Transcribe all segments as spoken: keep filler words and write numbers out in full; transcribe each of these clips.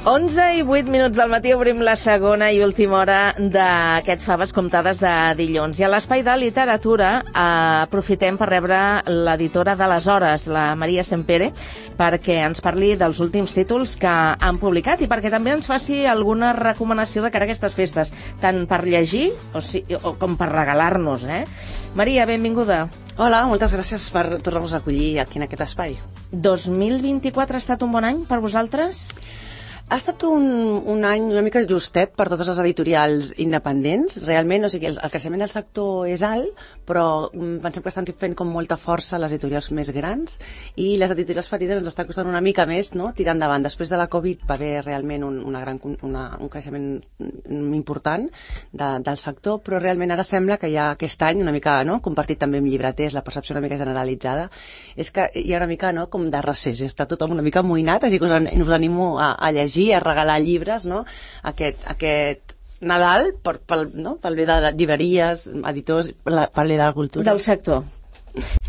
onze i vuit minuts del matí obrim la segona i última hora d'aquest Faves Comptades de dilluns. I a l'espai de literatura eh, aprofitem per rebre l'editora de les Hores, la Maria Sempere, perquè ens parli dels últims títols que han publicat i perquè també ens faci alguna recomanació de cara a aquestes festes, tant per llegir o, si, o com per regalar-nos. Eh? Maria, benvinguda. Hola, moltes gràcies per tornar-nos a acollir aquí en aquest espai. dos mil vint-i-quatre ha estat un bon any per vosaltres? Ha estat un, un any una mica justet per totes les editorials independents. Realment, o sigui, el, el creixement del sector és alt, però pensem que estan fent com molta força les editorials més grans i les editorials petites ens estan costant una mica més, no?, tirar endavant. Després de la Covid va haver realment un, una gran, una, un creixement important de, del sector, però realment ara sembla que ja aquest any, una mica, no?, compartit també amb llibreters, la percepció una mica generalitzada, és que hi ha una mica, no?, com de recés, està tothom una mica amoïnat, així que us, us animo a, a llegir, a regalar llibres, no?, aquest, aquest Nadal per, pel, no?, pel bé de llibreries, editors, pel bé de la cultura. Del sector.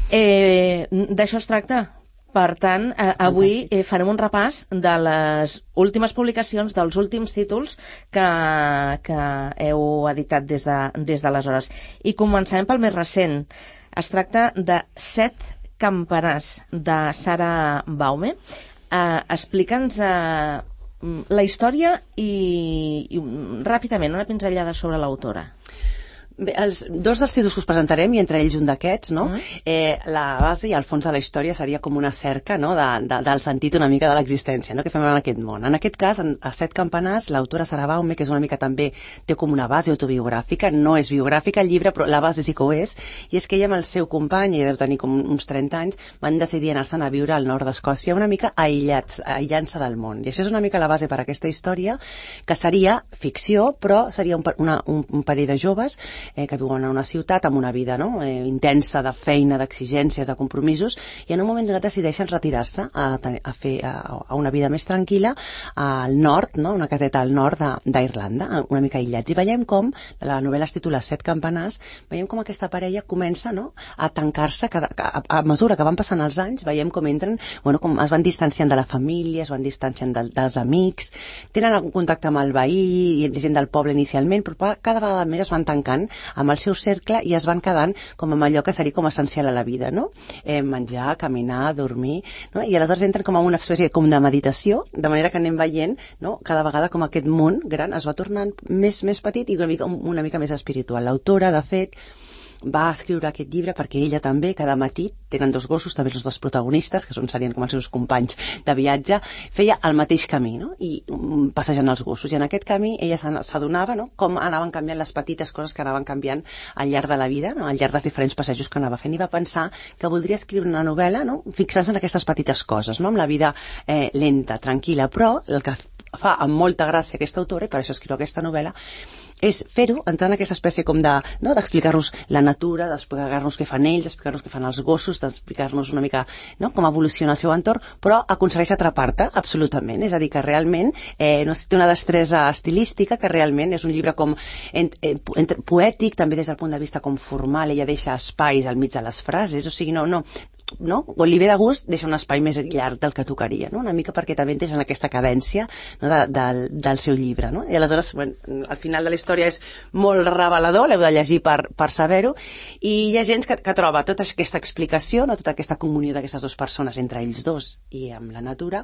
Eh, D'això es tracta. Per tant, eh, avui eh, farem un repàs de les últimes publicacions, dels últims títols que, que heu editat des de, des d'aleshores. I començarem pel més recent. Es tracta de Set campanars, de Sara Baume. Eh, Explica'ns eh, la història i, i ràpidament una pinzellada sobre l'autora. Bé, els dos dels títols que us presentarem, i entre ells un d'aquests, no? Mm. Eh, la base i el fons de la història seria com una cerca, no?, de, de, del sentit una mica de l'existència, no?, que fem en aquest món. En aquest cas, en, a Set campanars, l'autora Sara Baume, que és una mica també, té com una base autobiogràfica, no és biogràfica el llibre, però la base sí que ho és, i és que ella amb el seu company, ella deu tenir com uns trenta anys, van decidir anar-se'n a viure al nord d'Escòcia una mica aïllats, aïllant-se del món. I això és una mica la base per a aquesta història, que seria ficció, però seria un, una, un, un parell de joves Eh, que viuen en una ciutat amb una vida, no?, eh, intensa de feina, d'exigències, de compromisos, i en un moment donat decideixen retirar-se a, a fer a, a una vida més tranquil·la al nord, no?, una caseta al nord d'Irlanda, una mica aïllats. I veiem com, la novel·la es titula Set campanars, veiem com aquesta parella comença, no?, a tancar-se, a, a, a mesura que van passant els anys, veiem com entren, bueno, com es van distanciant de la família, es van distanciant de, dels amics, tenen algun contacte amb el veí i gent del poble inicialment, però cada vegada més es van tancant amb el seu cercle i es van quedant com amb allò que seria com essencial a la vida, no? Eh, menjar, caminar, dormir, no? I aleshores entren com a una espècie com de meditació, de manera que anem veient, no?, cada vegada com aquest món gran es va tornant més, més petit i una mica, una mica més espiritual. L'autora, de fet, va escriure aquest llibre perquè ella també, cada matí, tenen dos gossos, també els dos protagonistes, que són, serien com els seus companys de viatge, feia el mateix camí, no?, i um, passejant els gossos. I en aquest camí ella s'adonava, no?, com anaven canviant les petites coses que anaven canviant al llarg de la vida, no?, al llarg dels diferents passejos que anava fent. I va pensar que voldria escriure una novel·la, no?, fixant-se en aquestes petites coses, no?, amb la vida eh, lenta, tranquil·la, però el que fa amb molta gràcia aquesta autora, i per això escriu aquesta novel·la, és fer-ho, entrar en aquesta espècie com de, no?, d'explicar-nos la natura, d'explicar-nos què fan ells, d'explicar-nos què fan els gossos, d'explicar-nos una mica, no?, com evoluciona el seu entorn, però aconsegueix atrapar-te absolutament. És a dir, que realment eh, no, té una destresa estilística, que realment és un llibre com ent, ent, ent, poètic, també des del punt de vista com formal, ella deixa espais al mig de les frases, o sigui, no, no, no? Quan li ve de gust deixa un espai més llarg del que tocaria, no?, una mica perquè també entres en aquesta cadència, no?, de, de, del seu llibre, no? I aleshores, bueno, al final de la història és molt revelador, l'heu de llegir per, per saber-ho, i hi ha gent que, que troba tota aquesta explicació, no?, tota aquesta comunió d'aquestes dues persones entre ells dos i amb la natura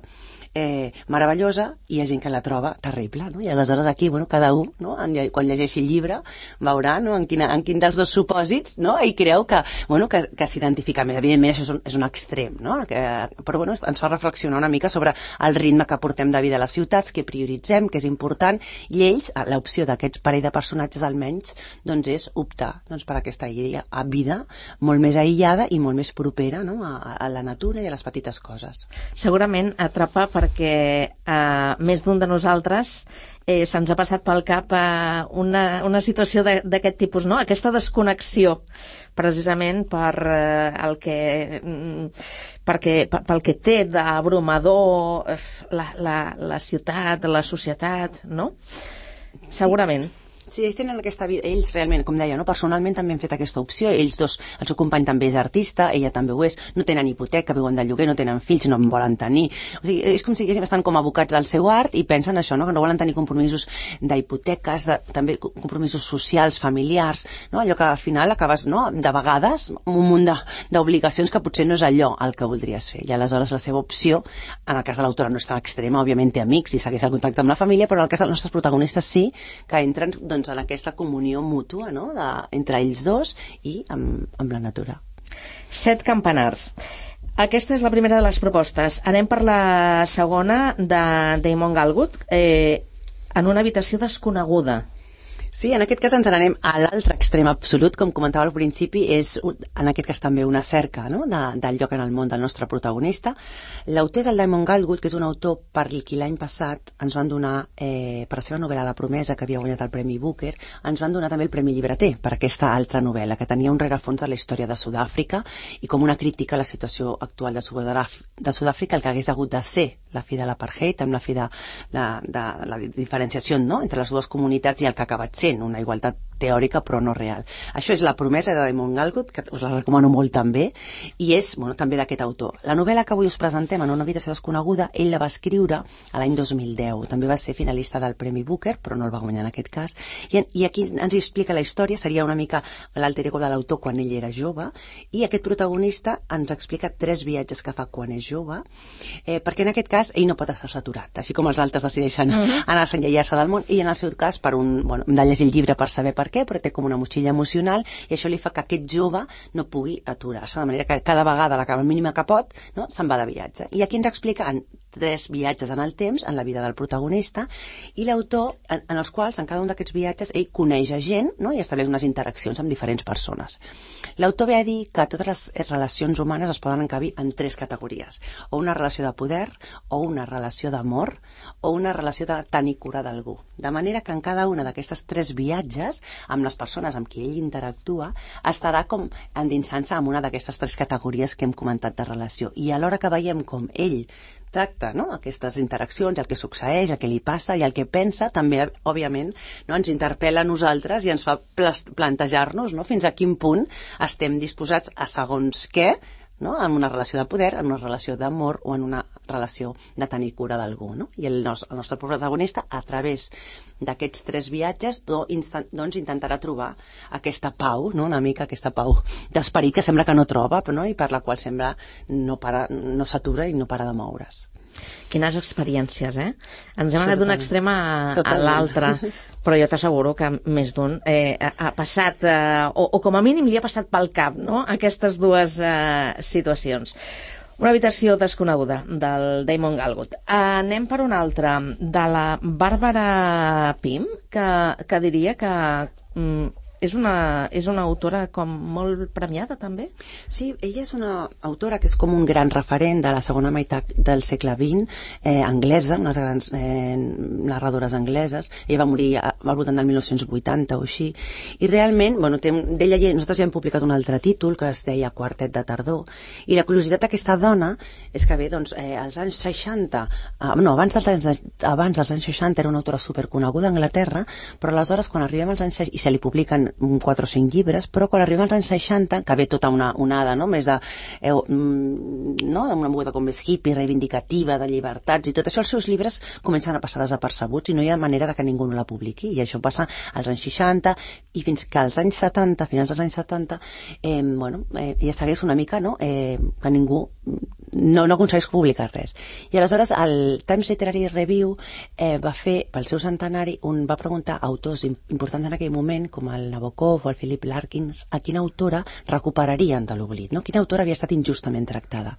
eh, meravellosa, i hi ha gent que la troba terrible, no? I aleshores aquí, bueno, cada un, no?, en, quan llegeixi el llibre veurà, no?, en, quina, en quin dels dos supòsits, no?, i creu que, bueno, que, que s'identifica més. Evidentment això és un, és un extrem, no?, que, però bueno, ens fa reflexionar una mica sobre el ritme que portem de vida a les ciutats, què prioritzem, què és important, i ells, l'opció d'aquests parell de personatges almenys, doncs és optar, doncs, per aquesta vida molt més aïllada i molt més propera, no?, a, a la natura i a les petites coses. Segurament atrapa perquè eh, més d'un de nosaltres eh, se'ns ha passat pel cap eh, una, una situació d'aquest tipus, no?, aquesta desconnexió precisament per eh, el que perquè, pel que té d'abrumador la, la, la ciutat, la societat, no? Segurament. Sí, ells tenen aquesta vida, ells realment, com deia, no? Personalment també han fet aquesta opció, ells dos, el seu company també és artista, ella també ho és, no tenen hipoteca, viuen de lloguer, no tenen fills, no en volen tenir, o sigui, és com si estan com abocats al seu art i pensen això, no? Que no volen tenir compromisos d'hipoteques, de, també compromisos socials, familiars, no? Allò que al final acabes, no? De vegades, un munt d'obligacions que potser no és allò el que voldries fer, i aleshores la seva opció, en el cas de l'autora no és tan extrema, òbviament té amics i segueix el contacte amb la família, però en el cas dels nostres protagonistes sí, que entren doncs, en aquesta comunió mútua, no? De, entre ells dos i amb, amb la natura. Set campanars. Aquesta és la primera de les propostes. Anem per la segona de Damon Galgut, eh, en una habitació desconeguda. Sí, en aquest cas ens n'anem a l'altre extrem absolut, com comentava al principi, és en aquest cas també una cerca, no? de, del lloc en el món del nostre protagonista. L'autor és el Damon Galgut, que és un autor per qui l'any passat ens van donar, eh, per la seva novel·la La promesa, que havia guanyat el Premi Booker, ens van donar també el Premi Llibreter per aquesta altra novel·la, que tenia un rerefons de la història de Sud-àfrica i com una crítica a la situació actual de Sud-àfrica, el que hagués hagut de ser la fi de l'apartheid, amb la fi de la, de la diferenciació, no? Entre les dues comunitats i el que ha acabat sent una igualtat teòrica però no real. Això és La promesa de Damon Galgut, que us la recomano molt també, i és bueno, també d'aquest autor. La novel·la que avui us presentem, En una habitació desconeguda, ell la va escriure a l'any dos mil deu. També va ser finalista del Premi Booker, però no el va guanyar en aquest cas. I, i aquí ens explica la història, seria una mica l'alter ego de l'autor quan ell era jove, i aquest protagonista ens explica tres viatges que fa quan és jove, eh, perquè en aquest cas ell no pot estar saturat, així com els altres decideixen uh-huh. anar-se a enlaiar-se del món, i en el seu cas, per un, bueno, hem de llegir el llibre per saber per què, però té com una motxilla emocional i això li fa que aquest jove no pugui aturar-se, de manera que cada vegada la mínima que pot, no, se'n va de viatge. I aquí ens explica en tres viatges en el temps, en la vida del protagonista, i l'autor, en, en els quals, en cada un d'aquests viatges, ell coneix a gent, no, i estableix unes interaccions amb diferents persones. L'autor ve a dir que totes les relacions humanes es poden encabir en tres categories, o una relació de poder, o una relació d'amor, o una relació de tenir cura d'algú. De manera que en cada una d'aquestes tres viatges, amb les persones amb qui ell interactua, estarà com endinsant-se en una d'aquestes tres categories que hem comentat de relació. I alhora que veiem com ell tracta, no? Aquestes interaccions, el que succeeix, el que li passa i el que pensa, també, òbviament, no? Ens interpel·la a nosaltres i ens fa plantejar-nos, no? Fins a quin punt estem disposats a segons què, no? En una relació de poder, en una relació d'amor o en una relació de tenir cura d'algú, no? I el nostre, el nostre protagonista, a través d'aquests tres viatges, do, instant, doncs intentarà trobar aquesta pau, no? Una mica aquesta pau d'esperit que sembla que no troba, no? I per la qual sembla no, para, no s'atura i no para de moure's. Quines experiències, eh? Ens hem anat d'un extrem a, a l'altre, però jo t'asseguro que més d'un eh, ha passat, eh, o, o com a mínim li ha passat pel cap, no?, aquestes dues eh, situacions. Una habitació desconeguda, del Damon Galgut. Anem per una altra, de la Bàrbara Pym, que, que diria que... Mm, És una, és una autora com molt premiada, també? Sí, ella és una autora que és com un gran referent de la segona meitat del segle vint, eh, anglesa, unes grans eh, narradores angleses. Ella va morir al voltant del mil nou-cents vuitanta o així. I realment, bueno, d'ella nosaltres ja hem publicat un altre títol que es deia Quartet de tardor. I la curiositat d'aquesta dona és que bé, doncs, eh, als anys seixanta, eh, no, abans dels anys, abans dels anys seixanta era una autora superconeguda a Anglaterra, però aleshores quan arribem als anys seixanta, i se li publiquen quatre o cinc llibres, però quan arribem als anys seixanta, que ve tota una onada, no?, més de eh, no?, una moguda com més hippie, reivindicativa, de llibertats i tot això, els seus llibres comencen a passar desapercebuts i no hi ha manera de que ningú no la publiqui, i això passa als anys seixanta i fins que als anys setanta, finals dels anys setanta, eh, bueno, eh, ja segueix una mica, no?, eh, que ningú no, no aconsegueix publicar res. I aleshores el Times Literary Review eh, va fer, pel seu centenari, un, va preguntar a autors importants en aquell moment, com el Nabokov o el Philip Larkin, a quina autora recuperarien de l'oblit, no? Quina autora havia estat injustament tractada.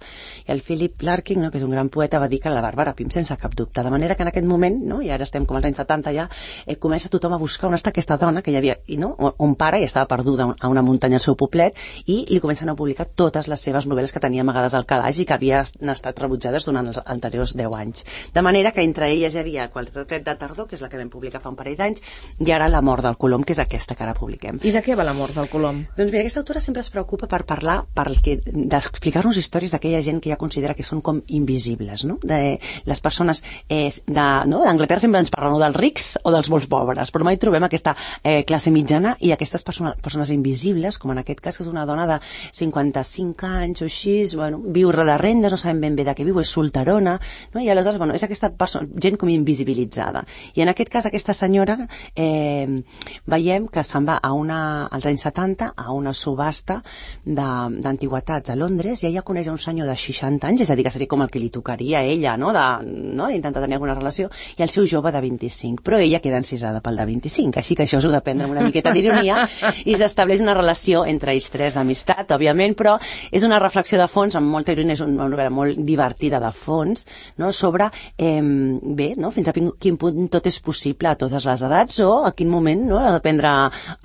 I el Philip Larkin, no?, que és un gran poeta, va dir que la Bàrbara Pym, sense cap dubte. De manera que en aquest moment, no?, i ara estem com als anys setanta ja, eh, comença tothom a buscar on està aquesta dona que hi havia, i, no?, on para i estava perduda a una muntanya al seu poblet, i li comencen a publicar totes les seves novel·les que tenia amagades al calaix i que havia havien estat rebutjades durant els anteriors deu anys. De manera que entre elles hi havia Quartet de tardor, que és la que vam publicar fa un parell d'anys, i ara La mort del colom, que és aquesta que ara publiquem. I de què va La mort del colom? Doncs mira, aquesta autora sempre es preocupa per parlar, perquè, d'explicar-nos històries d'aquella gent que ja considera que són com invisibles, no? De les persones eh, de, no? d'Anglaterra sempre ens parlen dels rics o dels molt pobres, però mai trobem aquesta eh, classe mitjana i aquestes persones, persones invisibles, com en aquest cas, que és una dona de cinquanta-cinc anys o així, bueno, viu de rendes, no sabem ben bé de què viu, és solterona, no? I aleshores, bueno, és aquesta persona, gent com invisibilitzada. I en aquest cas, aquesta senyora eh, veiem que se'n va a una, als anys setanta a una subhasta d'antiguitats a Londres i ella coneix un senyor de seixanta anys, és a dir, que seria com el que li tocaria a ella, no? De, no? d'intentar tenir alguna relació, i el seu jove de vint-i-cinc, però ella queda encisada pel de vint-i-cinc, així que això us ho de prendre amb una miqueta d'ironia, i s'estableix una relació entre ells tres d'amistat, òbviament, però és una reflexió de fons, amb molta ironia, és una novel·la molt divertida de fons, no? Sobre, eh, bé, no? fins a quin punt tot és possible a totes les edats, o a quin moment, no? ha de prendre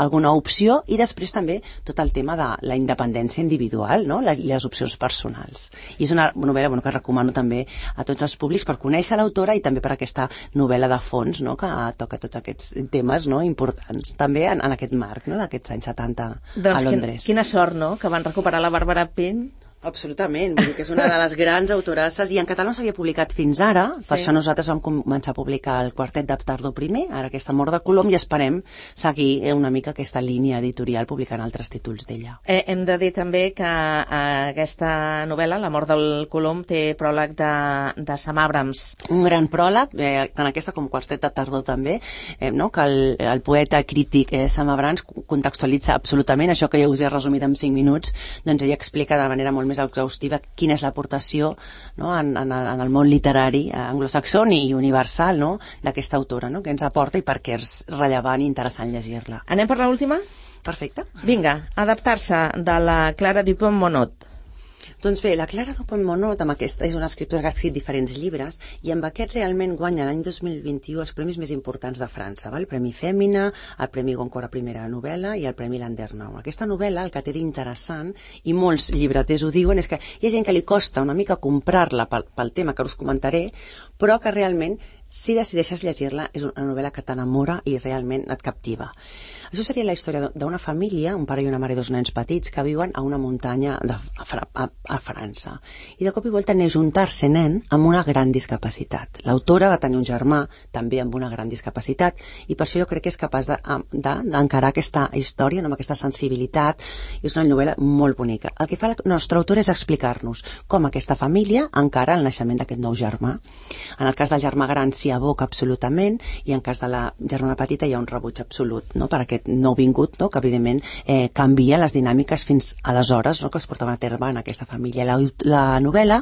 alguna opció, i després també tot el tema de la independència individual, no? les, les opcions personals. I és una novel·la bueno, que recomano també a tots els públics per conèixer l'autora i també per aquesta novel·la de fons, no? que toca tots aquests temes, no? importants, també en, en aquest marc, no? d'aquests anys setanta doncs a Londres. Quin, quina sort, no?, que van recuperar la Bàrbara Pint. Absolutament, vull dir que és una de les grans autorasses i en català no s'havia publicat fins ara, sí. Per això nosaltres vam començar a publicar el Quartet de tardor primer, ara aquesta Mort de colom, i esperem seguir una mica aquesta línia editorial publicant altres títols d'ella. Eh, hem de dir també que eh, aquesta novel·la, La mort del colom, té pròleg de, de Sam Abrams. Un gran pròleg, eh, tant aquesta com Quartet de tardor també, eh, no? que el, el poeta crític eh, Sam Abrams contextualitza absolutament això que ja us he resumit en cinc minuts, doncs ella explica de manera molt més exhaustiva quina és l'aportació, no? en, en, en el món literari anglosaxó i universal, no? d'aquesta autora, no? que ens aporta i per què és rellevant i interessant llegir-la. Anem per l'última? Perfecte. Vinga, adaptar-se de la Clara Dupont-Monod. Doncs bé, la Clara Dupont-Monod, amb aquesta, és una escriptora que ha escrit diferents llibres i amb aquest realment guanya l'any dos mil vint-i-u els premis més importants de França, val? El Premi Fèmina, el Premi Goncourt a primera novel·la i el Premi Landernau. Aquesta novel·la, el que té d'interessant, i molts llibreters ho diuen, és que hi ha gent que li costa una mica comprar-la pel, pel tema que us comentaré, però que realment, si decideixes llegir-la, és una novel·la que t'enamora i realment et captiva. Això seria la història d'una família, un pare i una mare i dos nens petits, que viuen a una muntanya de, a, a, a França. I de cop i volta neix un tercer nen amb una gran discapacitat. L'autora va tenir un germà també amb una gran discapacitat i per això jo crec que és capaç d'encarar de, aquesta història amb aquesta sensibilitat. És una novel·la molt bonica. El que fa la nostra autora és explicar-nos com aquesta família encara el naixement d'aquest nou germà. En el cas del germà gran s'hi aboca absolutament i en cas de la germana petita hi ha un rebuig absolut, no?, per aquest nou vingut, no?, que evidentment eh, canvia les dinàmiques fins aleshores, no?, que es portaven a terme en aquesta família. La, la novel·la,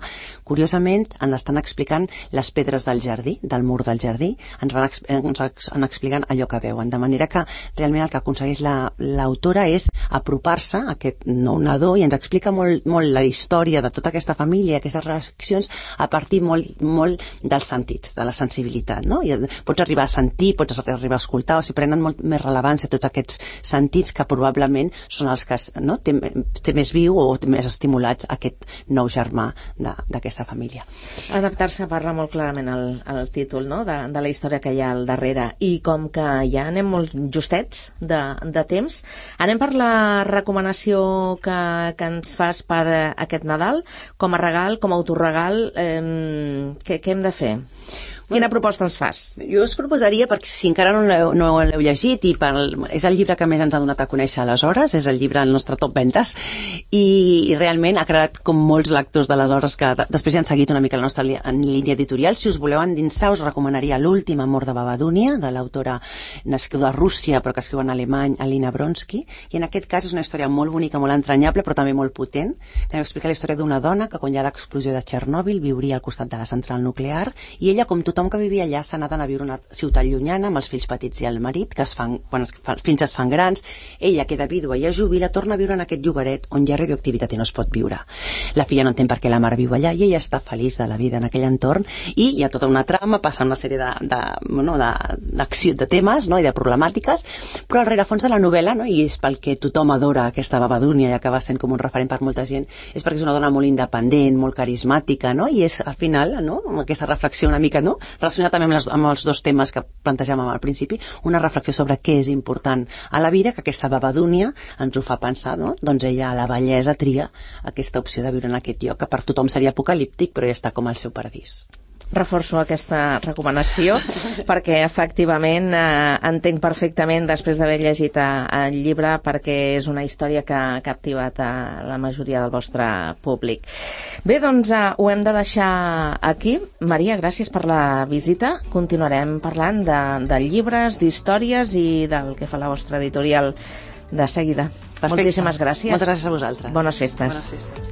curiosament, ens estan explicant les pedres del jardí, del mur del jardí, ens van, ens van explicant allò que veuen, de manera que realment el que aconsegueix l'autora la, és apropar-se a aquest nou nadó i ens explica molt, molt la història de tota aquesta família i aquestes reaccions a partir molt, molt dels sentits, de la sensibilitat, no? I pots arribar a sentir, pots arribar a escoltar, o si prenen molt més rellevància tots aquests sentits que probablement són els que, no?, té, té més viu o té més estimulats aquest nou germà d'aquesta família. Adaptar-se parla molt clarament el, el títol, no?, de, de la història que hi ha al darrere, i com que ja anem molt justets de, de temps, anem per la recomanació que, que ens fas per aquest Nadal, com a regal, com a autorregal, eh, què, què hem de fer? Quina proposta ens fas? Jo us proposaria, perquè si encara no l'heu no l'heu llegit, i per, és el llibre que més ens ha donat a conèixer aleshores, és el llibre del nostre top ventes, i, i realment ha creat com molts lectors d'aleshores que després ja han seguit una mica la nostra li, en línia editorial. Si us voleu endinsar, us recomanaria L'últim amor de Babadúnia, de l'autora nascuda a Rússia, però que escriu en alemany, Alina Bronsky, i en aquest cas és una història molt bonica, molt entranyable, però també molt potent, que explica la història d'una dona que quan hi ha l'explosió de Txernòbil viuria al costat de la central nuclear, i ella, com tot tothom que vivia allà s'ha anat a viure a una ciutat llunyana amb els fills petits i el marit, que es fan, quan els fills es fan grans, ella queda vídua i es jubila, torna a viure en aquest llogaret on hi ha radioactivitat i no es pot viure. La filla no entén per què la mare viu allà i ella està feliç de la vida en aquell entorn, i hi ha tota una trama, passa una sèrie de, de, bueno, de, d'acció, de temes, no? I de problemàtiques, però al rerefons de la novel·la, no? I és pel que tothom adora aquesta Babadúnia i acaba sent com un referent per molta gent, és perquè és una dona molt independent, molt carismàtica, no? I és al final, no? Amb aquesta reflexió una mica, no? Relacionada també amb, les, amb els dos temes que plantegem al principi, una reflexió sobre què és important a la vida, que aquesta Babadúnia ens ho fa pensar, no? Doncs ella a la vellesa tria aquesta opció de viure en aquest lloc, que per tothom seria apocalíptic, però ja està com al seu paradís. Reforço aquesta recomanació perquè efectivament eh, entenc perfectament després d'haver llegit eh, el llibre, perquè és una història que ha captivat a la majoria del vostre públic. Bé, doncs eh, ho hem de deixar aquí. Maria, gràcies per la visita. Continuarem parlant de, de llibres, d'històries i del que fa la vostra editorial de seguida. Perfecte. Moltíssimes gràcies. Moltes gràcies a vosaltres. Bones festes. Bones festes.